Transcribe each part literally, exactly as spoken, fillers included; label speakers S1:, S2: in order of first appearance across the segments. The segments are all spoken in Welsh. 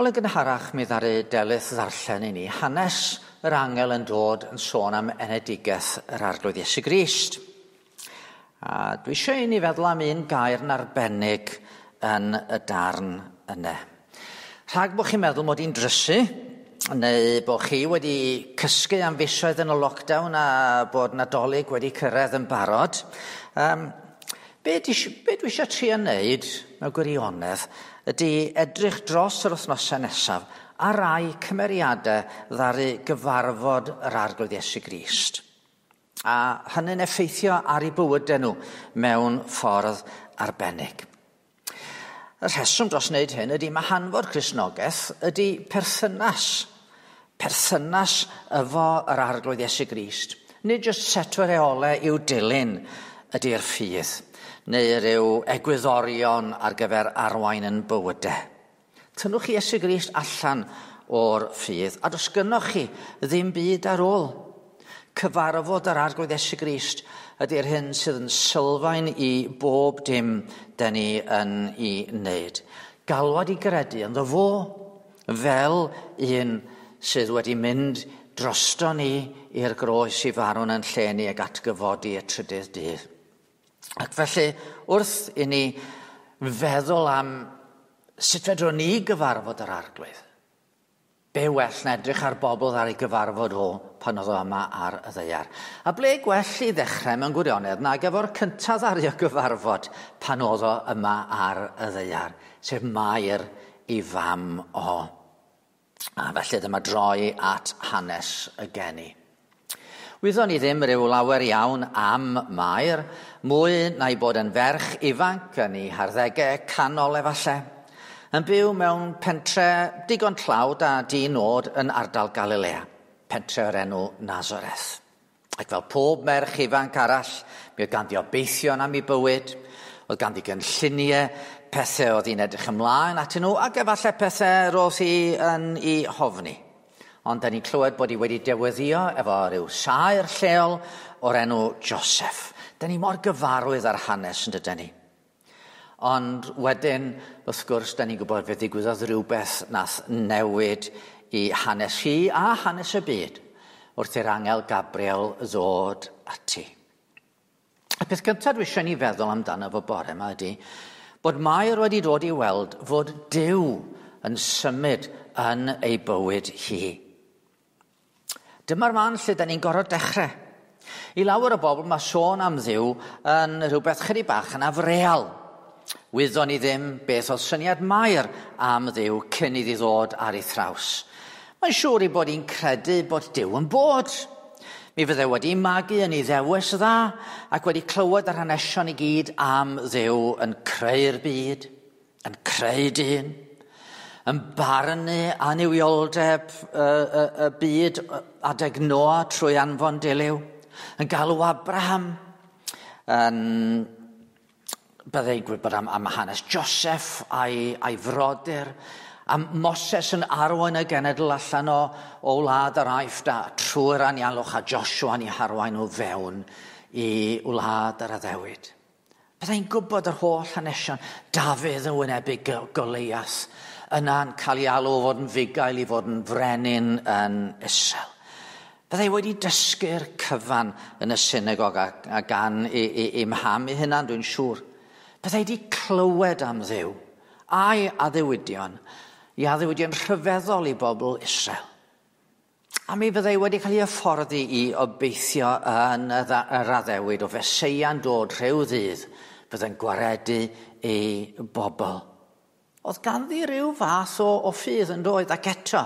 S1: Wel, yn gynharach mi ddaru Delyth ddarllen i ni hanes yr angel yn dod yn sôn am enedigaeth yr Arglwydd Iesu Grist. A dwi eisiau i ni feddwl am un gair yn arbennig yn y darn yna. Rhag bod chi'n meddwl mod i'n drysu, neu bod chi wedi cysgu am fisoedd yn y lockdown a bod Nadolig wedi cyrraedd yn barod, um, be, di, be dwi eisiau trio wneud mewn gwirionedd ydy edrych dros yr wythnosau nesaf ar rai cymeriadau ddaru gyfarfod yr Arglwydd Iesu Grist. A hynny'n effeithio ar eu bywydau nhw mewn ffordd arbennig. Y rheswm dros wneud hyn ydy mae hanfod Cristnogaeth ydy perthynas. Perthynas efo yr Arglwydd Iesu Grist. Nid jyst set o reolau i'w dilyn ydy'r ffydd, neu ryw egwyddorion ar gyfer arwain yn bywydau. Tynnwch chi Iesu Grist allan o'r ffydd, a does gynnoch chi ddim byd ar ôl. Cyfarfod yr Arglwydd Iesu Grist ydy'r hyn sydd yn sylfaen i bob dim dyn ni yn ei wneud. Galwad i gredu ynddo fo fel un sydd wedi mynd drosto ni i'r groes i farw'n yn lle ni ag atgyfodi y trydydd dydd. Ac felly, wrth i ni feddwl am sut fedrwn ni gyfarfod yr Arglwydd, be well na edrych ar bobl ar ei gyfarfod o pan oedd o yma ar y ddaear. A ble gwell i ddechrau mewn gwirionedd nag efo'r cyntaf ddaru o gyfarfod pan oedd o yma ar y ddaear, sef Mair ei fam o. A felly dyma droi at hanes y geni. Wyddon ni ddim rhyw lawer iawn am Mair, mwy na'i bod yn ferch ifanc yn ei harddegau canol efallai, yn byw mewn pentre digon tlawd a di-nod yn ardal Galilea, pentre o'r enw Nazareth. Ac fel pob merch ifanc arall, mi oedd ganddi obeithion am ei bywyd, oedd ganddi gynlluniau, pethau oedd hi'n edrych ymlaen atyn nhw, ac efallai pethau roedd hi yn ei hofni. Ond da ni'n clywed bod hi wedi dewyddio efo rhyw saer lleol o'r enw Joseph. Da ni mor gyfarwydd ar hanes yn dydyn ni. Ond wedyn, wrth gwrs, da ni'n gwybod fe ddigwyddodd rhywbeth nath newid i hanes hi a hanes y byd wrth i'r angel Gabriel ddod ati. Y peth gyntaf dwi eisiau ni feddwl amdano fo bore yma ydy bod Mair wedi dod i weld fod Duw yn symud yn ei bywyd hi. Dyma'r man lle da ni'n gorfod dechrau. I lawer o bobl mae sôn am Dduw yn rhywbeth chydig bach yn afreal. Wyddon ni ddim beth oedd syniad Mair am Dduw cyn iddi ddod ar ei thraws. Mae'n siŵr ei bod hi'n credu bod Duw yn bod. Mi fydde wedi magu yn ei ddewis dda ac wedi clywed yr hanesion i gyd am Dduw yn creu'r byd, yn creu dyn, yn barnu annuwioldeb y, y, y byd adeg Noa trwy anfon dilyw, yn galw Abraham, yn byddai'n gwybod am, am hanes Joseph a'i, a'i frodyr, am Moses yn arwain y genedl allan o, o wlad yr Aifft a trwy'r anialwch a Joshua yn ei harwain o fewn i wlad yr addewid. Byddai'n gwybod yr holl hanesion, Dafydd yn wynebu Goliath, yna'n cael ei alw o fod yn fugail i fod yn frenin yn Israel. Byddai wedi dysgu'r cyfan yn y synagog a, a gan i, i, i mham ei hunan, dwi'n siŵr. Byddai wedi clywed am Dduw a'i addewidion, i addewidion rhyfeddol i bobl Israel. A mi fyddai wedi cael ei hyfforddi i obeithio yn yr addewid o Feseia'n dod rhyw ddydd fyddai'n gwaredu ei bobl. Oedd ganddi rhyw fath o, o ffydd yn doedd ac eto.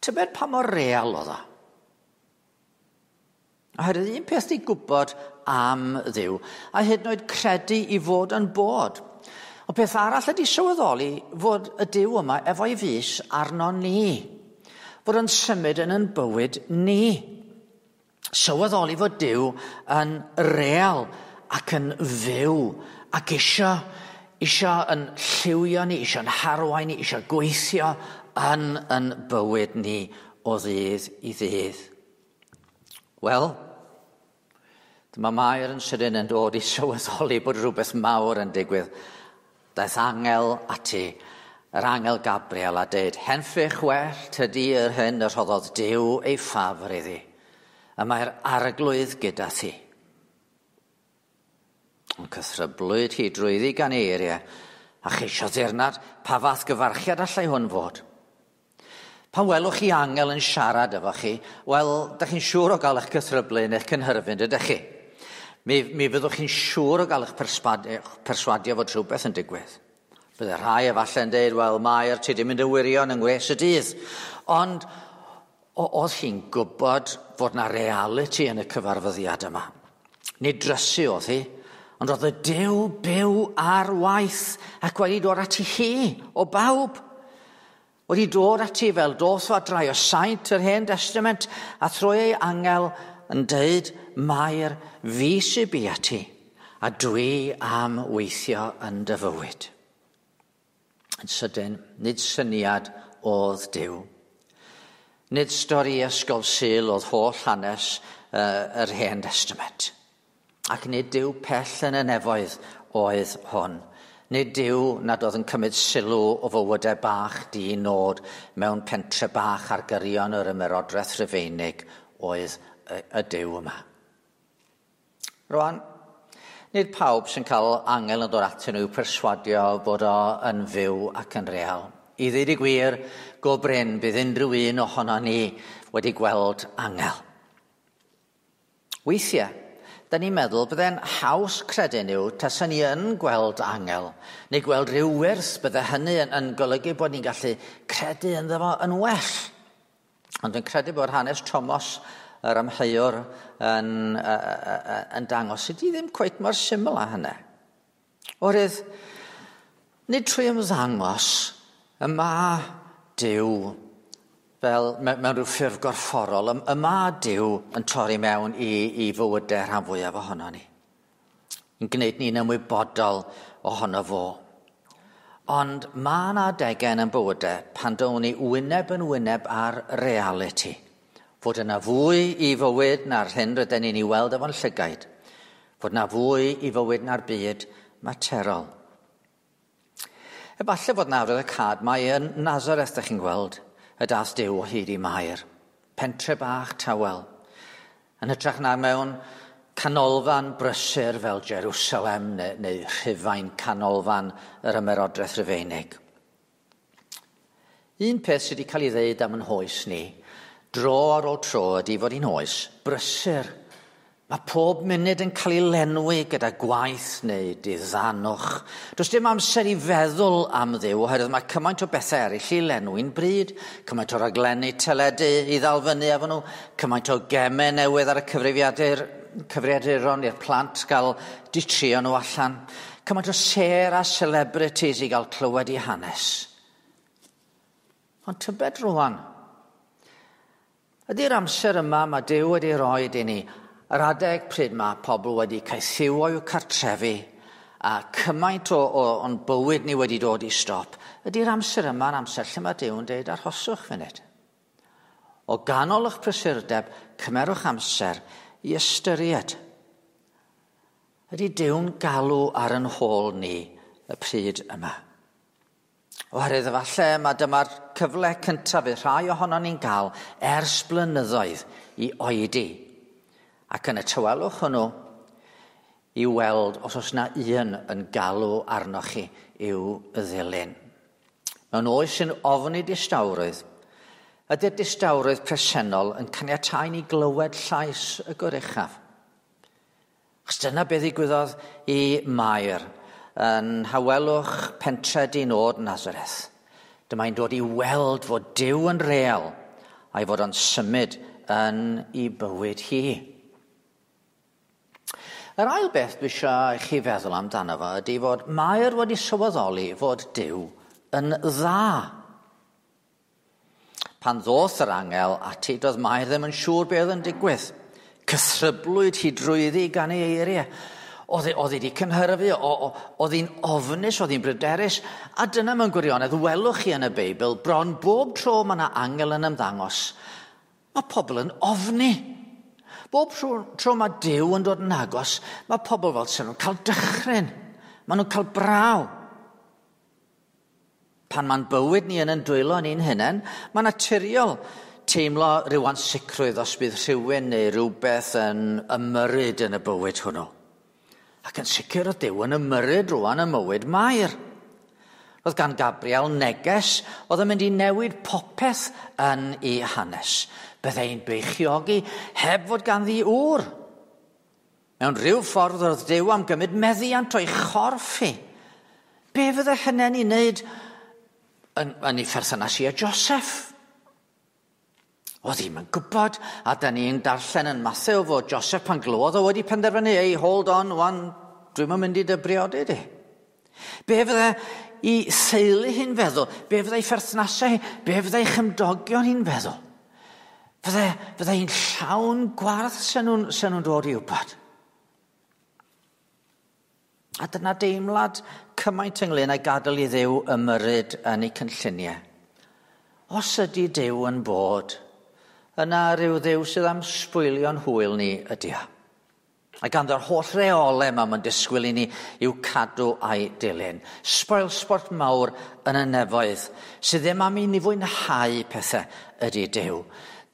S1: Tybed pa mor real oedd o? Oherwydd un peth di gwybod am Dduw, a hyd yn oed credu i fod yn bod. Ond peth arall ydy sylweddoli fod y Duw yma efo'i fys arno ni. Fod yn symud yn yn bywyd ni. Sylweddoli fod Duw yn real ac yn fyw ac isio, isio yn lliwio ni, isio yn harwain ni, isio gweithio yn yn bywyd ni o ddydd i ddydd. Wel, dyma Mair yn sydyn yn dod i sylweddoli bod rhywbeth mawr yn digwydd. Daeth angel ati yr angel Gabriel a deud, "Henffych well tydi yr hyn y rhoddodd Duw ei ffafr iddi, y mae'r Arglwydd gyda thi." Ond cythryblwyd hi drwyddi gan ei eiriau, a cheisio ddirnad pa fath gyfarchiad allai hwn fod. Pan welwch chi angel yn siarad efo chi, wel, da chi'n siŵr o gael eich cythryblu neu'ch cynhyrfyn, ydych chi? Mi, mi fyddwch chi'n siŵr o gael eich perswadio fod rhywbeth yn digwydd. Bydde rhai efallai yn dweud, "Wel, Mair, ti di mynd yn wirion yng ngwres y dydd." Ond oedd hi'n gwybod fod na reality yn y cyfarfyddiad yma. Nid drysu oedd hi, ond oedd y Duw byw ar waith ac wedi dod ati hi o bawb. Wedi dod ati fel doth o adrai o saint yr Hen Testament a thrwy ei angel yn deud, "Mair, fi sy'n bu ati a dwi am weithio yn dy fywyd." Yn sydyn, nid syniad oedd Duw. Nid stori ysgol Sul oedd holl hanes uh, yr Hen Testament. Ac nid Duw pell yn y nefoedd oedd hwn. Nid Duw nad oedd yn cymryd sylw o fywydau bach di nod mewn pentre bach ar gyrion yr Ymerodraeth Rufeinig oedd y, y Duw yma. Rwan, nid pawb sy'n cael angel yn dod atyn nhw i'w perswadio bod o yn fyw ac yn real. I ddweud y gwir, go brin bydd unrhyw un ohono ni wedi gweld angel. Weithiau, da ni'n meddwl byddai'n haws credu nhw tasen ni yn gweld angel, neu gweld rhyw wyrth, bydde hynny yn, yn golygu bod ni'n gallu credu ynddo fo yn well. Ond dwi'n credu bod hanes Thomas yr amheuwr yn, yn dangos ydy ddim cweit mor syml â hynny. Oherwydd, nid trwy ymddangos y mae Duw fel mewn rhyw ffurf gorfforol, y mae Duw yn torri mewn i, i fywydau rhan fwyaf ohono ni. Yn gwneud ni'n ymwybodol ohono fo. Ond mae yna adegau yn bywydau pan down ni wyneb yn wyneb ar reality. Fod yna fwy i fywyd na'r hyn rydyn ni'n ei weld efo'n llygaid. Fod yna fwy i fywyd na'r byd materol. Efallai fod nawr y cad mae yn Nazareth, ydych chi'n gweld, y dath Duw o hyd i Mair. Pentre bach tawel. Yn hytrach na mewn canolfan brysur fel Jerusalem neu, neu Rhufain, canolfan yr Ymerodraeth Rufeinig. Un peth sydd wedi cael ei ddeud am yn hoes ni, dro ar ôl tro, ydy fod hi'n oes brysur. Mae pob munud yn cael ei lenwi gyda gwaith neu diddanwch. Does dim amser i feddwl am Dduw, oherwydd mae cymaint o bethau eraill i lenwi'n bryd, cymaint o raglenni teledu i ddal fyny efo nhw, cymaint o gemau newydd ar y cyfrifiadur, cyfrifiaduron i'r plant gael ditrio nhw allan, cymaint o sêr a celebrities i gael clywed i hanes. Ond tybed rwan, ydy'r amser yma mae Duw wedi roi i ni, yr adeg pryd mae pobl wedi caethiwo i'w cartrefi a cymaint o, o, o'n bywyd ni wedi dod i stop, ydy'r amser yma'n amser lle mae Duw yn dweud arhoswch funud. O ganol eich prysurdeb, cymerwch amser i ystyried. Ydy Duw'n galw ar yn hôl ni y pryd yma? Oherwydd efallai mae dyma'r cyfle cyntaf i rhai ohonon ni'n gael ers blynyddoedd i oedi. Ac yn y tawelwch hwnnw i weld os oes na un yn galw arnoch chi i'w ddilyn. Mewn oes sy'n ofni distawrwydd, ydy'r distawrwydd presennol yn caniatáu ni glywed llais y Goruchaf? Achos dyna beth ddigwyddodd i Mair yn hawelwch pentre di-nod Nazareth. Dyma hi'n dod i weld fod Duw yn real a'i fod o'n symud yn ei bywyd hi. Yr ail beth dwi eisiau i chi feddwl amdano fo ydy fod Mair wedi sylweddoli fod Duw yn dda. Pan ddoth yr angel ati, doedd Mair ddim yn siŵr beth oedd yn digwydd. Cythryblwyd hi drwyddi gan ei eiriau. Oedd oedd hi wedi cynhyrfu, oedd hi'n ofnus, oedd hi'n bryderus. A dyna mewn gwirionedd, welwch chi yn y Beibl, bron bob tro mae yna angel yn ymddangos, mae pobl yn ofni. Bob tro, tro mae Duw yn dod yn agos, mae pobl fel sy'n nhw'n cael dychryn. Maen nhw'n cael braw. Pan mae'n bywyd ni yn yn dwylo ni'n hunain, mae'n naturiol teimlo rhyw ansicrwydd os bydd rhywun neu rhywbeth yn ymyrryd yn y bywyd hwnnw. Ac yn sicr o Duw yn ymyrryd rwan ym mywyd Mair. Roedd gan Gabriel neges oedd yn mynd i newid popeth yn ei hanes. Byddai'n beichiogi heb fod ganddi ŵr. Mewn rhyw ffordd oedd Duw am gymryd meddiant o'i chorff hi. Be fydde hynny'n ei wneud yn, yn ei pherthynas hi a Joseph? Oedd hi'm yn gwybod, a da ni'n darllen yn Mathew fod Joseph pan glywodd o wedi penderfynu, ei, hold on, wan, dwi'm yn mynd i dy briodi di. Be fydde ei theulu hi'n feddwl? Be fydde ei pherthnasau hi? Be fydde ei chymdogion hi'n feddwl? Fydde, fydde hi'n llawn gwarth sen nhw'n, sen nhw'n dod i wybod? A dyna deimlad cymaint ynglyn â gadael i Dduw ymyrryd yn ei cynlluniau. Os ydy Duw yn bod, yna rhyw Dduw sydd am sbwylio'n hwyl ni ydy o. A ganddo'r holl reolau yma mae'n disgwyl i ni i'w cadw a'i dilyn. Spoilsport mawr yn y nefoedd sydd ddim am i ni fwynhau pethau ydy Duw.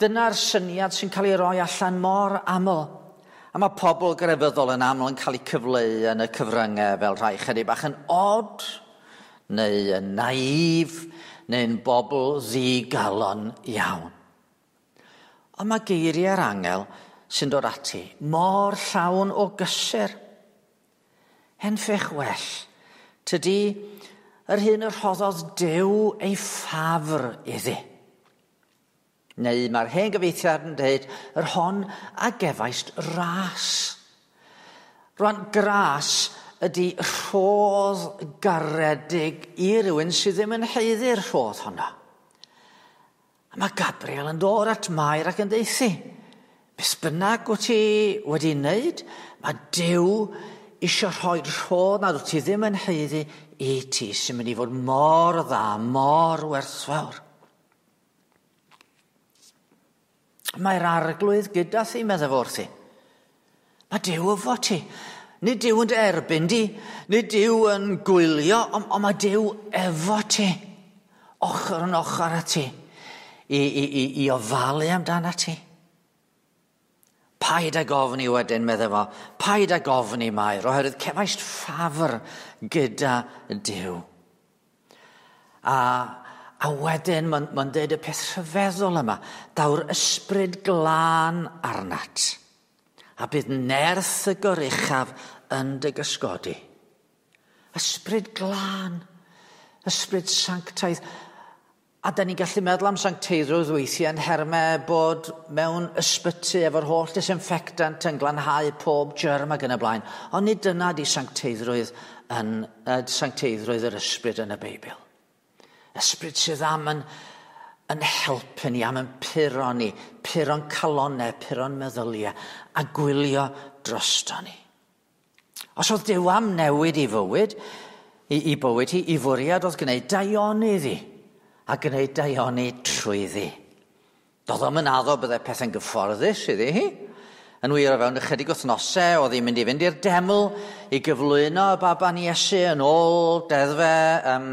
S1: Dyna'r syniad sy'n cael ei roi allan mor aml. A mae pobl grefyddol yn aml yn cael eu cyfleu yn y cyfryngau fel rhai chydig bach yn odd, neu yn naif, neu'n bobl ddigalon iawn. Ond mae geiriau'r angel sy'n dod ati mor llawn o gysur. Henffych well, tydi yr hyn y rhoddodd Duw ei ffafr iddi. Neu mae'r hen gyfieithiad yn dweud, yr hon a gefaist ras. Rwan, gras ydy rhodd garedig i rywun sydd ddim yn haeddu'r rhodd honno. A mae Gabriel yn dod at Mair ac yn deithi, beth bynnag wyt ti wedi wneud, mae Duw eisiau rhoi rhodd nad wyt ti ddim yn haeddu i ti sy'n mynd i fod mor dda, mor werthfawr. Mae'r Arglwydd gyda thi, meddai fo wrthi. Mae Duw efo ti. Nid Duw yn dy erbyn di, nid Duw yn gwylio, ond, ond mae Duw efo ti. Ochr yn ochr â ti, i, i, i, i ofalu amdana ti. Paid ag ofni wedyn, meddai fo. Paid ag ofni, Mair, oherwydd cefaist ffafr gyda Duw. A A wedyn mae'n ma dweud y peth rhyfeddol yma, daw'r ysbryd glân arnat, a bydd nerth y goruchaf yn dy gysgodi. Ysbryd glân, ysbryd sanctaidd. A da ni'n gallu meddwl am sancteiddrwydd weithiau yn nhermau bod mewn ysbyty efo'r holl disinfectant yn glanhau pob germ ac yn y blaen. Ond nid dyna di sancteiddrwydd, yn, uh, sancteiddrwydd yr ysbryd yn y Beibl. Ysbryd sydd am yn, yn helpu ni, am yn puro ni, puro'n calonau, puro'n meddyliau, a gwylio drosto ni. Os oedd Duw am newid i fywyd, i, i bywyd hi, i fwriad oedd gwneud daioni iddi, a gwneud daioni trwyddi. Doedd o'm yn addo byddai pethau'n gyfforddus iddi hi. Yn wir, o fewn ychydig wythnosau, oedd hi'n mynd i fynd i'r deml i gyflwyno y baban Iesu yn ôl deddfau um,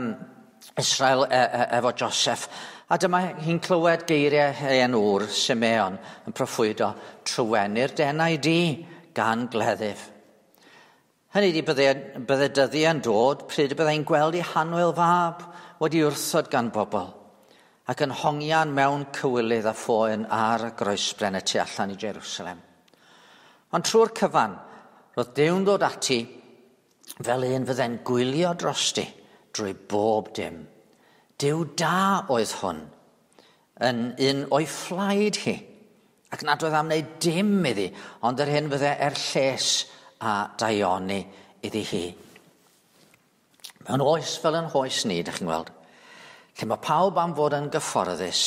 S1: Israel e, e, efo Joseph. A dyma hi'n clywed geiriau hen ŵr, Simeon, yn proffwydo, trywenu'r denau di gan gleddyf. Hynny ydi, bydde, bydde dyddiau'n dod pryd y byddai'n gweld ei hanwyl fab wedi wrthod gan bobl ac yn hongian mewn cywilydd a phoen ar y groesbren y tu allan i Jerusalem. Ond trwy'r cyfan, roedd Duw'n dod ati fel un fydde'n gwylio drosti drwy bob dim. Duw da oedd hwn, yn un o'i phlaid hi, ac nad oedd am wneud dim iddi, ond yr hyn fydde er lles a daioni iddi hi. Mewn oes fel yn hoes ni, dych chi'n gweld, lle mae pawb am fod yn gyfforddus,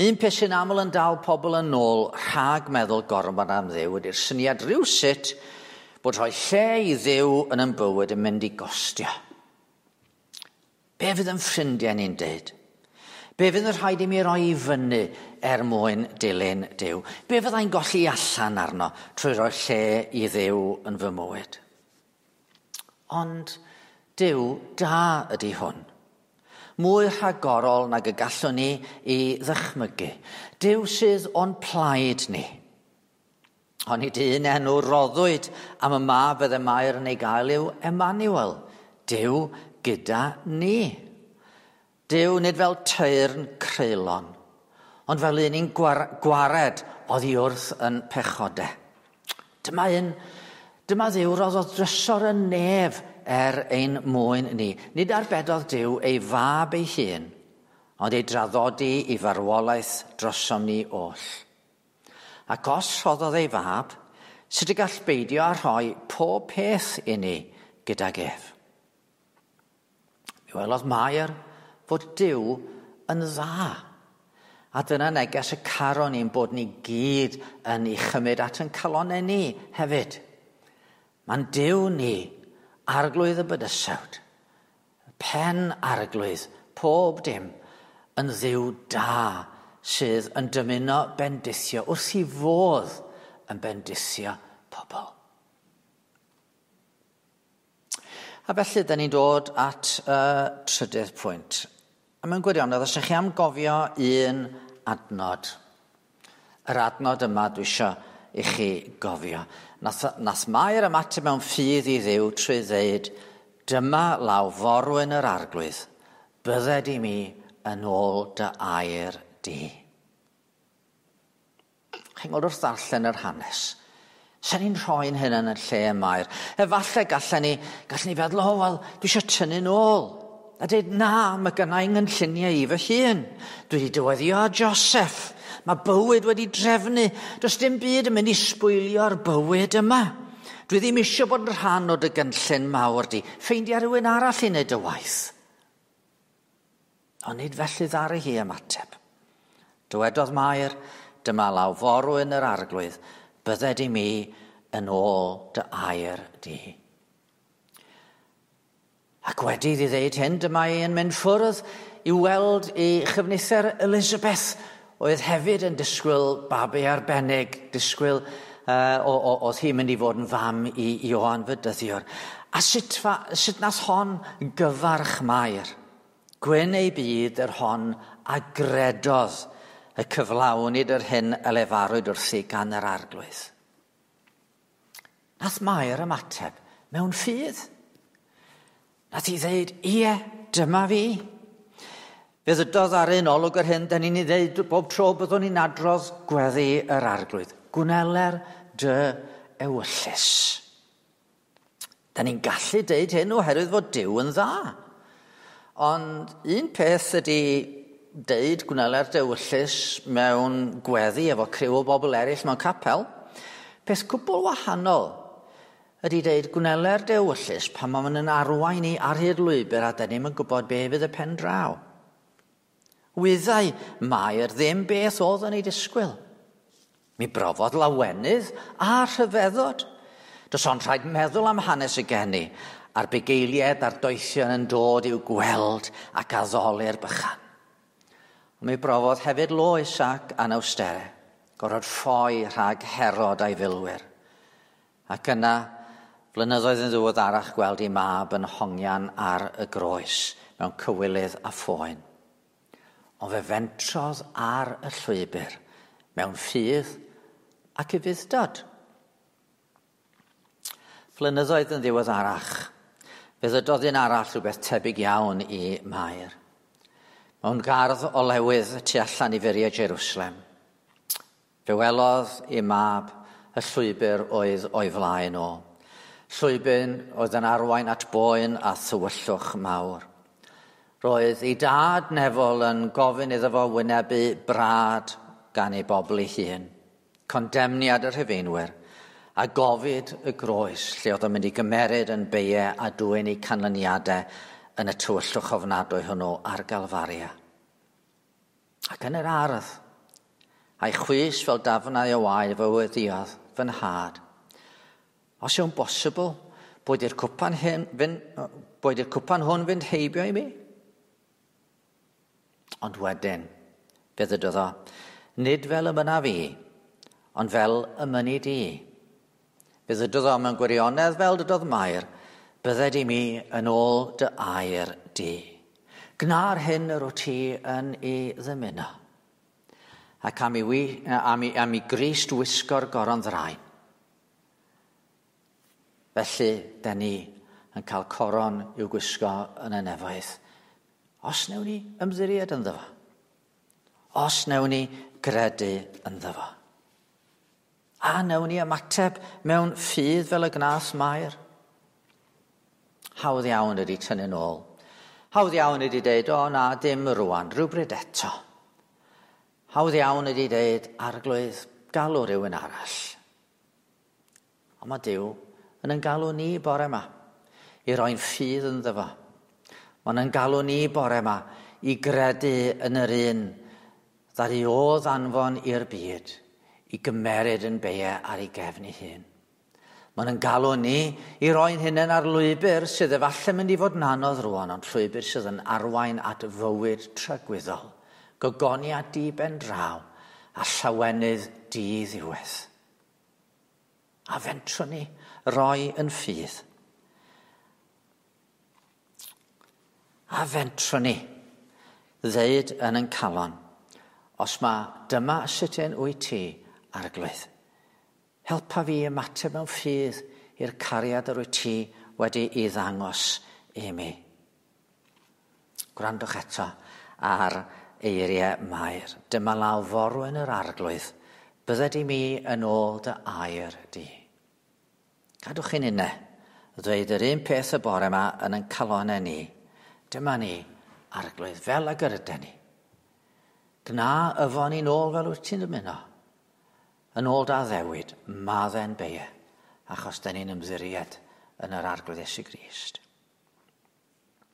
S1: un peth sy'n aml yn dal pobl yn ôl rhag meddwl gormod am Dduw ydy'r syniad rhywsut bod rhoi lle i Dduw yn ein bywyd yn mynd i gostio. Be fydd yn ffrindiau ni'n deud? Be fydd yn rhaid i mi roi i fyny er mwyn dilyn Duw? Be fyddai'n golli allan arno trwy roi lle i Dduw yn fy mywyd? Ond Duw da ydy hwn. Mwy rhagorol nag y gallwn ni i ddychmygu. Duw sydd o'n plaid ni. Ond un enw roddwyd am y mab fydde Mair yn ei gael yw Emmanuel. Duw gyda ni. Duw nid fel teyrn creulon, ond fel un i'n gwared oddi wrth yn pechodau. Dyma un, dyma Dduw roddodd drysor y nef er ein mwyn ni. Nid arbedodd Duw ei fab ei hun, ond ei draddodi i farwolaeth drosom ni oll. Ac os rhoddodd ei fab, sut y gall beidio â rhoi pob peth i ni gydag ef? Mi welodd Mair fod Duw yn dda. A dyna neges y caron ni'n bod ni gyd yn ei chymryd at yn calonau ni hefyd. Mae'n Duw ni, arglwydd y bydysawd, pen arglwydd, pob dim, yn Dduw da sydd yn dymuno bendithio wrth i fodd yn bendithio pobl. A felly, da ni'n dod at y uh, trydydd pwynt. A mewn gwirionedd, os ydych chi am gofio un adnod, yr adnod yma dwi eisiau i chi gofio. Nath, nath Mair ymateb mewn ffydd i Dduw trwy ddeud, dyma law forwyn yr arglwydd, bydded i mi yn ôl dy air di. Chi'n gweld wrth ddarllen yr hanes, sa'n ni'n rhoi'n hyn yn y lle y Mair. Efallai gallen ni, gallen ni feddwl, o, wel, dwi eisiau tynnu nôl. A dweud, na, mae gynna i ngynlluniau i fy hun. Dwi wedi dyweddio â Joseph. Mae bywyd wedi drefnu. Does dim byd yn mynd i sbwylio'r bywyd yma. Dwi ddim eisiau bod yn rhan o dy gynllun mawr di. Ffeindia rhywun arall i wneud y waith. Ond nid felly ddaru hi ymateb. Dywedodd Mair, dyma law forwyn yr arglwydd, bydded i mi yn ôl dy air di. Ac wedi iddi ddeud hyn, dyma hi yn mynd ffwrdd i weld ei chyfnither Elizabeth, oedd hefyd yn disgwyl babi arbennig, disgwyl uh, oedd hi'n mynd i fod yn fam i Ioan Fedyddiwr. A sut, fa, sut nath hon gyfarch Mair? Gwyn ei byd yr hon a gredodd y cyflawnid yr hyn y lefarwyd wrthi gan yr arglwydd. Nath Mair ymateb mewn ffydd. Nath hi ddeud, ie, dyma fi. Fe ddydodd ar un olwg yr hyn, da ni'n ei ddeud bob tro byddwn ni'n adrodd gweddi yr arglwydd. Gwneler dy ewyllys. Da ni'n gallu deud hyn oherwydd fod Duw yn dda. Ond un peth ydy deud gwneler dy ewyllys mewn gweddi efo criw o bobl eraill mewn capel. Peth cwbl wahanol ydy deud gwneler dy ewyllys pan mae yn arwain ni ar hyd lwybr a da ni'm yn gwybod be fydd y pen draw. Wyddai Mair ddim beth oedd yn ei disgwyl. Mi brofodd lawenydd a rhyfeddod. Does ond rhaid meddwl am hanes y geni a'r bugeiliaid a'r doethion yn dod i'w gweld ac addoli'r bychan. Ond mi brofodd hefyd loes ac anawsterau, gorfod ffoi rhag Herod a'i filwyr. Ac yna, blynyddoedd yn ddiweddarach gweld ei mab yn hongian ar y groes mewn cywilydd a phoen. Ond fe fentrodd ar y llwybr mewn ffydd ac ufudd-dod. Flynyddoedd yn ddiweddarach, fe ddydodd un arall rhywbeth tebyg iawn i Mair. Mewn gardd olewydd tu allan i furiau Jerusalem, fe welodd ei mab y llwybr oedd o'i flaen o. Llwybr oedd yn arwain at boen a thywyllwch mawr. Roedd ei dad nefol yn gofyn iddo fo wynebu brad gan ei bobl ei hun, condemniad y Rhufeinwyr, a gofid y groes lle oedd o'n mynd i gymeryd yn beiau a dwyn eu canlyniadau yn y tywyllwch ofnadwy hwnnw ar Galfaria. Ac yn yr ardd, a'i chwys fel dafnau o waed fe weddïodd fy nhad. Os yw'n bosibl, boed i'r cwpan, hyn, fynd, boed i'r cwpan hwn fynd heibio i mi? Ond wedyn, fe ddydodd o, nid fel y mynna fi, ond fel y mynni di. Fe ddydodd o mewn gwirionedd fel dydodd Mair, bydded i mi yn ôl dy air di. Gna'r hyn yr wyt ti yn ei ddymuno. Ac am i, wi, am i, am i Grist wisgo'r goron ddraen. Felly, den ni yn cael coron i'w gwisgo yn y nefoedd. Os newn ni ymddiried ynddo fo. Os newn ni gredu ynddo fo. A newn ni ymateb mewn ffydd fel y gnath Mair. Hawdd iawn ydy tynnu'n ôl. Hawdd iawn ydy deud, o na, dim rwan, rhywbryd eto. Hawdd iawn ydy deud, Arglwydd, galw rhywun arall. Ond mae Duw yn yn galw ni bore yma i roi'n ffydd ynddo fo. Mae'n yn galw ni bore yma i gredu yn yr un ddaru oedd anfon i'r byd i gymeryd yn beie ar ei gefn ei hun. Mae'n yn galw ni i roi'n hunain ar lwybr sydd efallai mynd i fod yn anodd rwan, ond llwybr sydd yn arwain at fywyd tragwyddol, gogoniad di ben draw a llawenydd di-ddiwedd. A fentrwn ni roi yn ffydd. A fentrwn ni ddeud yn yn calon, os mae dyma sut un wyt ti, Arglwydd, helpa fi ymateb mewn ffydd i'r cariad yr wyt ti wedi ei ddangos i mi. Gwrandwch eto ar eiriau Mair. Dyma law forwyn yr Arglwydd, bydded i mi yn ôl dy air di. Cadwch chi'n unne, ddweud yr un peth y bore yma yn ein calonau ni. Dyma ni, Arglwydd, fel ag yr yden ni. Gna yfon ni'n ôl fel wyt ti'n dymuno. Yn ôl da ddewid, madde'n beie, achos da ni'n ymddiried yn yr Arglwydd Iesu Grist.